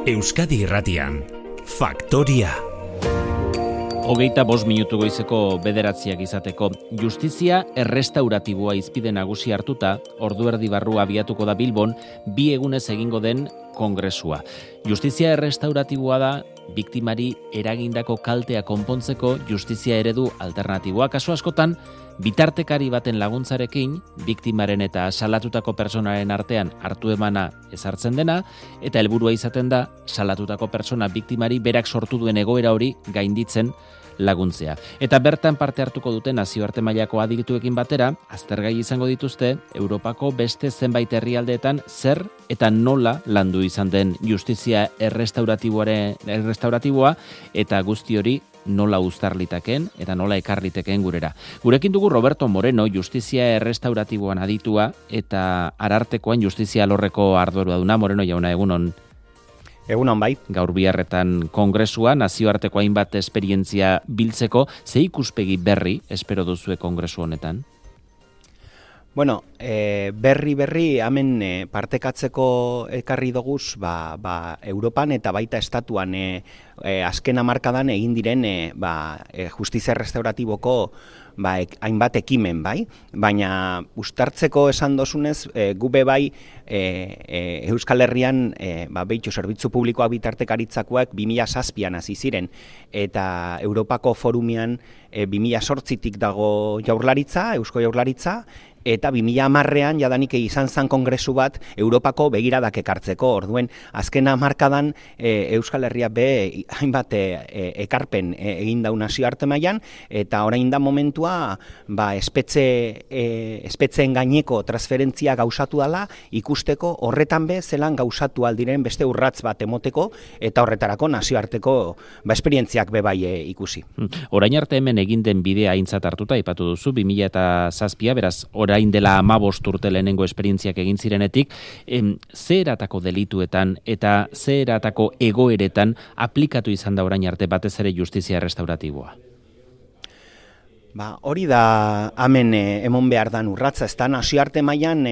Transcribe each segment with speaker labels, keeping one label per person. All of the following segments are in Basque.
Speaker 1: Euskadi Irratian, Faktoria.
Speaker 2: 25 minutu goizeko 9 izateko. Justizia errestauratiboa izpide nagusi hartuta, ordu erdi barru abiatuko da Bilbon, 2 egunez egingo den kongresua. Justizia errestauratiboa da, biktimari eragindako kaltea konpontzeko justizia eredu alternatiboa. Kasu askotan, bitartekari baten laguntzarekin, biktimaren eta salatutako pertsonaren artean hartu emana ezartzen dena, eta helburua izaten da, salatutako pertsona biktimari berak sortu duen egoera hori gainditzen laguntzea. Eta bertan parte hartuko duten nazioarte mailako adituekin batera, aztergai izango dituzte, Europako beste zenbait herrialdeetan zer eta nola landu izan den justizia errestauratiboa eta guzti hori nola uztarlitaken eta nola ekarliteken gurera. Gurekin dugu Roberto Moreno, justizia errestauratiboan aditua eta Arartekoan justizia alorreko arduraduna. Moreno jauna, egunon.
Speaker 3: Egunon bai.
Speaker 2: Gaur biharretan kongresua, nazioarteko hainbat esperientzia biltzeko, ze ikuspegi berri espero duzue kongresu honetan?
Speaker 3: Bueno, berri hemen partekatzeko ekarri doguz, Europan eta baita estatuan azken hamarkadan egin diren justizia restauratiboko hainbat ekimen, bai? Baina uztartzeko esan dozunez, gube bai Euskal Herrian behitxo zerbitzu publikoak bitartekaritzakoak 2007an hasi ziren, eta Europako forumian 2008tik dago jaurlaritza, Eusko Jaurlaritza, eta 2010ean jadanik izan zen kongresu bat Europako begiradak ekartzeko. Orduen, azken hamarkadan Euskal Herria be hainbat ekarpen egin dau nazioarte mailan, eta orain da momentua espetzeen gaineko transferentzia gauzatu dela, ikusteko horretan be zelan gauzatu aldiren beste urratz bat emoteko, eta horretarako nazioarteko esperientziak be bai ikusi.
Speaker 2: Orain arte hemen egin den bidea aintzat hartuta aipatu duzu, 2007, beraz, orain dela 15 urte lehenengo esperientziak egin zirenetik, ze eratako delituetan eta ze eratako egoeretan aplikatu izan da orain arte batez ere justizia restauratiboa?
Speaker 3: Hori da hemen emon behar dan urratza, ez da nazioarte mailan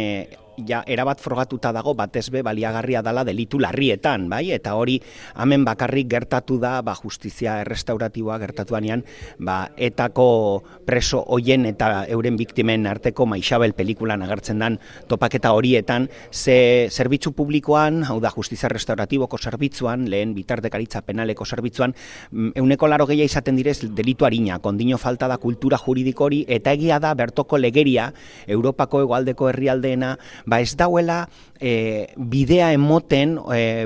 Speaker 3: erabat frogatuta dago batez be baliagarria dela delitu larrietan, bai? Eta hori hemen bakarrik gertatu da justizia errestauratiboa gertatuanean, etako preso hoien eta euren biktimen arteko Maixabel pelikulan agertzen dan topaketa horietan, ze zerbitzu publikoan, hau da justizia restauratiboko zerbitzuan, lehen bitartekaritza penaleko zerbitzuan, 80% izaten direz delitu harina, kondino falta da kultura juridiko hori, eta egia da bertoko legeria, Europako hegoaldeko herrialdeena, ez dauela bidea emoten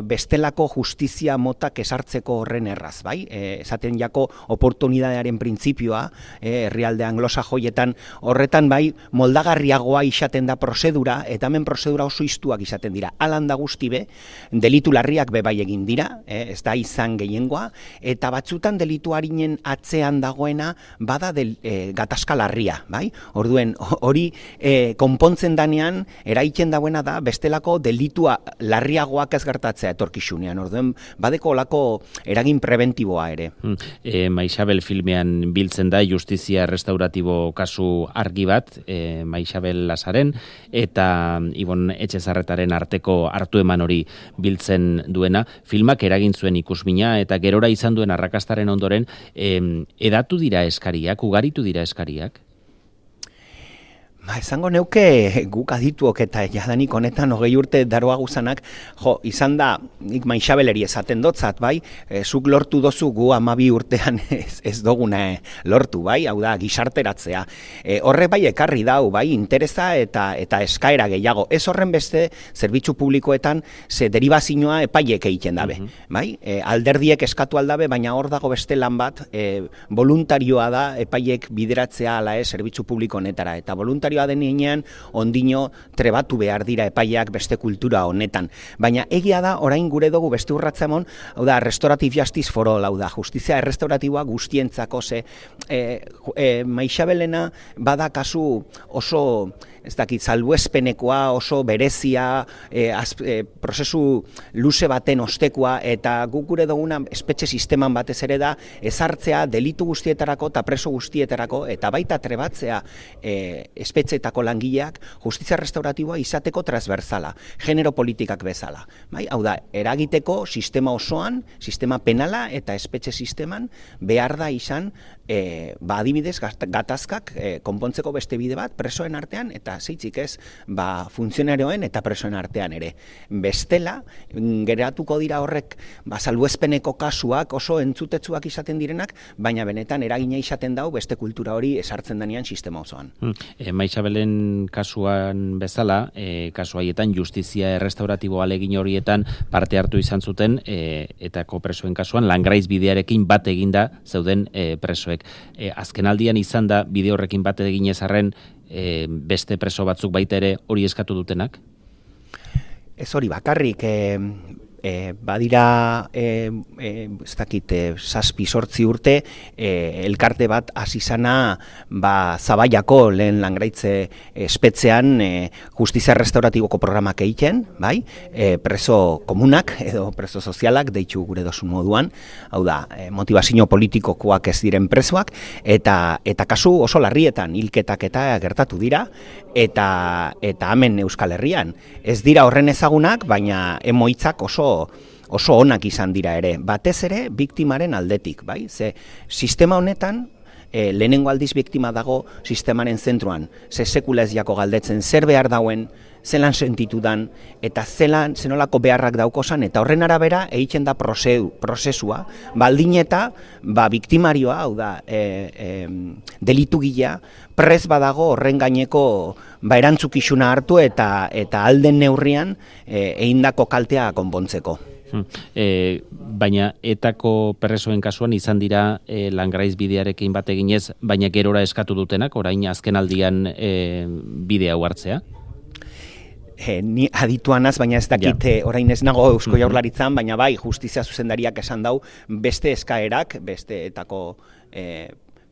Speaker 3: bestelako justizia motak esartzeko horren erraz, bai? Esaten jako oportunidadearen printzipioa, herrialde anglosajoietan horretan bai moldagarriagoa izaten da prozedura, eta hemen prozedura oso iztuak izaten dira. Alan da guzti be, delitu larriak be bai egin dira, ez da izan gehiengoa, eta batzutan delitu harinen atzean dagoena bada gatazka larria, bai? Orduen, hori konpontzen danean, egiten dagoena da bestelako delitua larriagoak ez gertatzea etorkizunean. Orduen, badeko olako eragin preventiboa ere.
Speaker 2: Maixabel filmean biltzen da justizia restauratibo kasu argi bat, Maixabel Lazaren eta Ibon Etxezarretaren arteko hartu eman hori biltzen duena. Filmak eragin zuen ikusmina eta gerora izan duen arrakastaren ondoren edatu dira eskariak, ugaritu dira eskariak?
Speaker 3: Esango neuke guk adituok eta jadanik honetan 20 urte daroa guzanak, izan da, nik Maixabeleri esaten dotzat, bai, zuk lortu dozu gu 12 urtean ez doguna lortu, bai, hau da, gizarteratzea. Horrek bai ekarri dau, bai, interesa eta eskaera gehiago. Ez horren beste, zerbitzu publikoetan, ze deribazioa epaiek egiten dabe, bai? Alderdiek eskatu aldabe, baina hor dago beste lan bat, voluntarioa da epaiek bideratzea ala zerbitzu publiko honetara, eta voluntarioa denean ondino trebatu behar dira epaiak beste kultura honetan. Baina egia da, orain gure dugu beste urratza emon, hau da, restorative justice for all, hau da, justizia errestauratiboa guztientzako, ze Maixabelena bada kasu oso ez dakit, salbuespenekoa, oso berezia, prozesu luze baten ostekoa, eta guk gure duguna espetxe sisteman batez ere da, ezartzea delitu guztietarako eta preso guztietarako, eta baita trebatzea espetxeetako langileak justizia restauratiboa izateko transversala, genero politikak bezala. Bai? Hau da, eragiteko sistema osoan, sistema penala eta espetxe sisteman behar da izan adibidez gatazkak konpontzeko beste bide bat presoen artean eta zeitzik ez funtzionarioen eta presoen artean ere. Bestela, geratuko dira horrek salbuespeneko kasuak oso entzutetsuak izaten direnak, baina benetan eragina izaten dau beste kultura hori esartzen denean sistema osoan.
Speaker 2: Maixabelen kasuan bezala, kasu haietan justizia errestauratibo alegin horietan parte hartu izan zuten eta presoen kasuan langraiz bidearekin bat eginda zeuden presoek. Azken aldian izan da bide horrekin bat eginez arren beste preso batzuk baita ere hori eskatu dutenak?
Speaker 3: Ez hori bakarrik, badira ez dakit 7-8 urte elkarte bat hasi zana Zabaiako lehen langraitze espetxean justizia restauratiboko programak egiten, bai? Preso komunak edo preso sozialak deitu gure dosun moduan, hau da, motivazio politikokoak ez diren presoak, eta kasu oso larrietan hilketak eta gertatu dira, eta hemen Euskal Herrian. Ez dira horren ezagunak, baina emoitzak oso onak izan dira ere, batez ere biktimaren aldetik, bai? Ze sistema honetan lehenengo aldiz biktima dago sistemaren zentruan, ze sekula ez jako galdetzen zer behar dauen, zelan sentitudan, eta zenolako beharrak daukozan, eta horren arabera egiten da prozesua, baldin eta biktimarioa, hau da, delitu gila, prez badago horren gaineko erantzukizuna hartu eta alden neurrian egindako kaltea konpontzeko.
Speaker 2: Baina etako presoen kasuan izan dira langraiz bidearekin bat eginez, baina gerora eskatu dutenak, orain azken aldian bidea hartzea?
Speaker 3: Ni adituanaz, baina ez dakit orain ez nago Eusko Jaurlaritzan, baina bai justizia zuzendariak esan dau beste eskaerak, beste etako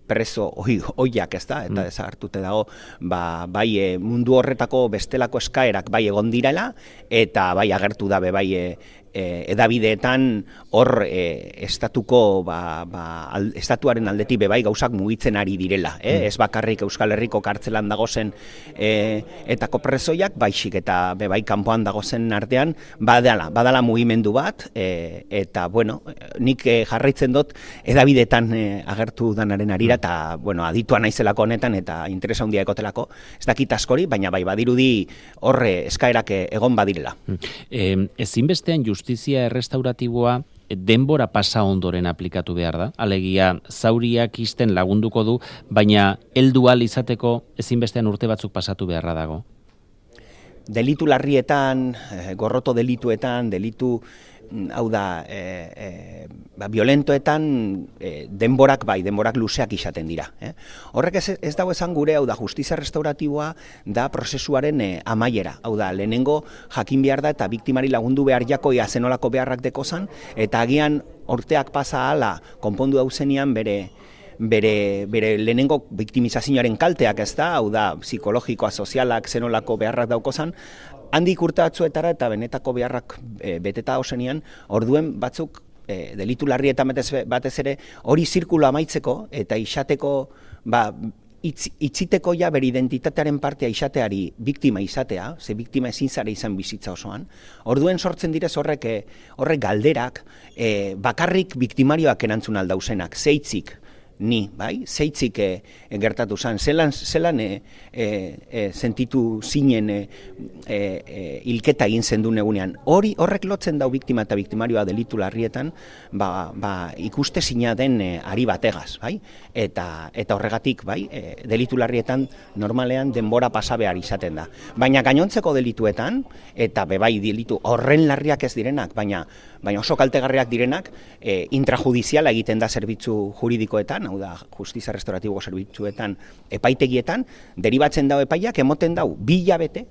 Speaker 3: preso oiak ez da, eta desagertute dago, bai mundu horretako bestelako eskaerak bai egon direla, eta bai agertu dabe bai edabideetan hor estatuko estatuaren aldetik bebai gauzak mugitzen ari direla, ez bakarrik Euskal Herriko kartzelan dagozen etako presoiak, baizik eta bebai kanpoan dagozen artean badala mugimendu bat, eta bueno, nik jarraitzen dut edabideetan agertu danaren arira, eta bueno, aditua naizelako honetan eta interesa handia ekotelako, ez dakit askori, baina bai badirudi horre eskaerak egon badirela.
Speaker 2: Ezinbestean justizia errestauratiboa denbora pasa ondoren aplikatu behar da. Alegia, zauriak isten lagunduko du, baina heldu ahal izateko ezinbestean urte batzuk pasatu beharra dago.
Speaker 3: Delitu larrietan, gorroto delituetan, delitu hau da, violentoetan denborak luzeak izaten dira. Horrek ez dago esan gure, hau da, justizia restauratiboa da prozesuaren amaiera. Hau da, lehenengo jakin behar da eta biktimari lagundu behar jako zenolako beharrak dekozan, eta agian urteak pasa hala konpondu dauzenian bere lehenengo biktimizazioaren kalteak ez da, hau da, psikologikoa, sozialak, zenolako beharrak daukozan, handik urte batzuetara eta benetako beharrak beteta osenian, orduen batzuk delitu larrietan batez ere hori zirkulo amaitzeko eta isateko, itziteko ja bere identitatearen partea izateari biktima izatea, ze biktima ezin zara izan bizitza osoan, orduen sortzen direz horrek galderak bakarrik biktimarioak erantzun aldauzenak, zeitzik, ni, bai, zeitzik gertatu zen, zelan sentitu zinen hilketa egin zendu egunean. Horrek lotzen dau biktima eta biktimarioa delitu larrietan, ikuste zina den ari bategaz, bai? Eta horregatik, bai, delitu larrietan normalean denbora pasa behar izaten da. Baina gainontzeko delituetan, eta bebai delitu horren larriak ez direnak, baina oso kaltegarriak direnak, intrajudiziala egiten da zerbitzu juridikoetan, hau da, justizia restauratibo zerbitzuetan, epaitegietan, deribatzen dau epaiak, emoten dau 2 hilabete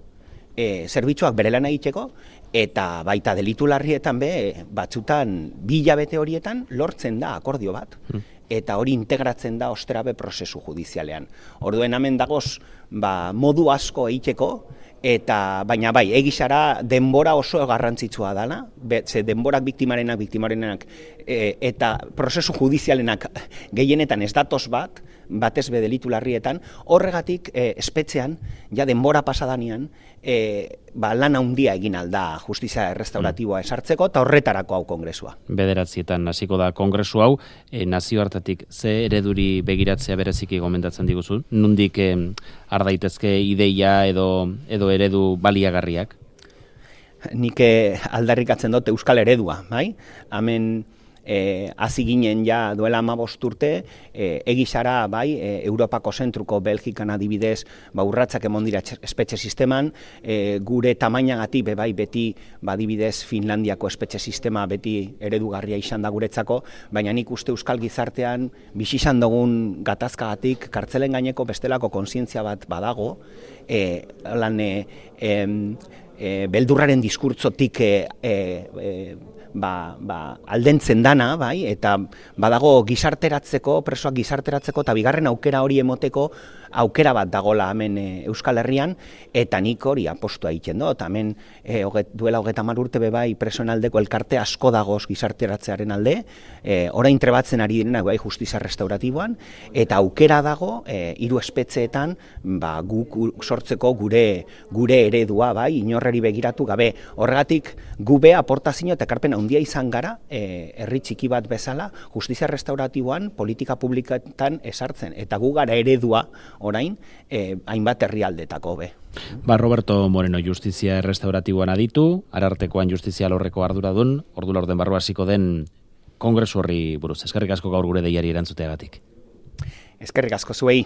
Speaker 3: zerbitzuak bere lana egiteko, eta baita delitu larrietan batzutan 2 hilabete horietan lortzen da akordio bat. eta hori integratzen da osterabe prozesu judizialean. Orduen hemen dagoz modu asko egiteko, baina bai, egizara denbora oso garrantzitsua dela, ze denborak biktimarenak, eta prozesu judizialenak gehienetan ez datoz batez be delitu larrietan, horregatik espetxean, ja denbora pasadanean, lan handia egin alda justizia errestauratiboa esartzeko, eta horretarako hau kongresua.
Speaker 2: 9:00 hasiko da kongresu hau, nazioartetik ze ereduri begiratzea bereziki gomendatzen diguzu? Nondik har daitezke ideia edo eredu baliagarriak?
Speaker 3: Nik aldarrikatzen dut euskal eredua, bai? Hemen hasi ginen ja duela 15 urte, egizara bai, Europako zentruko Belgikan adibidez, urratzak emon dira espetxe sisteman, gure tamainagatik bai beti adibidez Finlandiako espetxe sistema beti eredugarria izan da guretzako, baina nik uste euskal gizartean bizi izan dugun gatazkagatik kartzelen gaineko bestelako kontzientzia bat badago, beldurraren diskurtzotik aldentzen dana, bai, eta badago gizarteratzeko, presoak gizarteratzeko, eta bigarren aukera hori emoteko aukera bat dagola hemen Euskal Herrian, eta nik hori apostua egiten dut. Hemen duela 30 urte bai presoen aldeko elkarte asko dagoz gizarteratzearen alde, orain trebatzen ari direnak bai justizia restauratiboan, eta aukera dago 3 espetxeetan guk sortzeko gure eredua, bai, inorreri begiratu gabe. Horregatik gube aportazio eta ekarpen handia izan gara, herri txiki bat bezala, justizia restauratiboan politika publikatan esartzen, eta gu gara eredua orain, hainbat herrialdetako be.
Speaker 2: Roberto Moreno, justizia restauratiboan aditu, Arartekoan justizia alorreko arduradun, ordu laurden barru hasiko den kongresu horri buruz. Eskerrik asko gaur gure deiari erantzuteagatik.
Speaker 3: Eskerrik asko zuei.